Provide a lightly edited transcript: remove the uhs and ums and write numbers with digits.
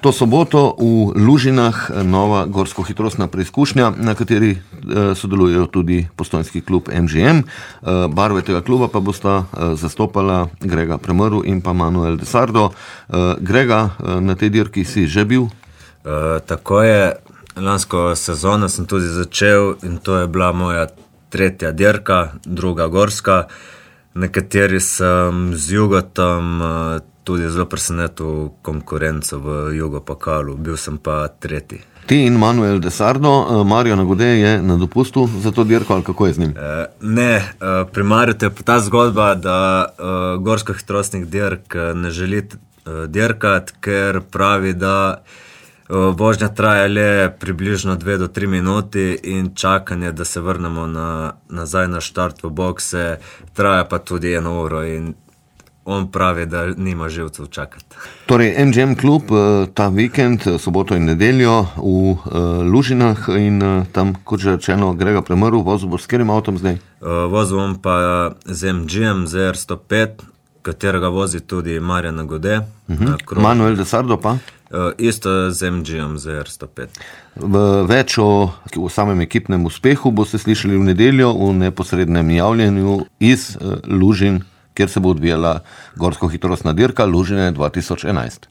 To soboto v Lužinah nova gorsko-hitrostna preizkušnja, na kateri sodelujejo tudi postojnski klub MGM. Barve tega kluba pa bosta zastopala Grega Premrl in pa Manuel de Sardo. Grega, na tej dirki si že bil? Tako je, lansko sezono sem tudi začel in to je bila moja tretja dirka, druga gorska, na kateri sem z Jugotom tudi zelo presenetil konkurenco v Jugopokalu, bil sem pa tretji. Ti in Manuel de Sardo, Mario Nagode je na dopustu za to dirko, ali kako je z njim? Ne, pri Mariju je pa ta zgodba, da gorsko-hitrostnih dirk ne želi dirkati, ker pravi, da vožnja traja le približno 2 do 3 minuti in čakanje, da se vrnemo nazaj na štart v bokse, traja pa tudi 1 uro in on pravi, da nima živcev čakati. Torej, MGM klub ta vikend, soboto in nedeljo v Lužinah in tam, kot že rečeno, Grega Premrl, vozil bo s katerim avtom zdaj? Vozil bom pa z MGM ZR105, katerega vozi tudi Mario Nagode. Manuel de Sardo pa? Isto z MGM ZR105. Več o samem ekipnem uspehu boste slišali v nedeljo v neposrednem javljenju iz Lužin, kjer se bo odvijala gorsko-hitrostna dirka Lužine 2011.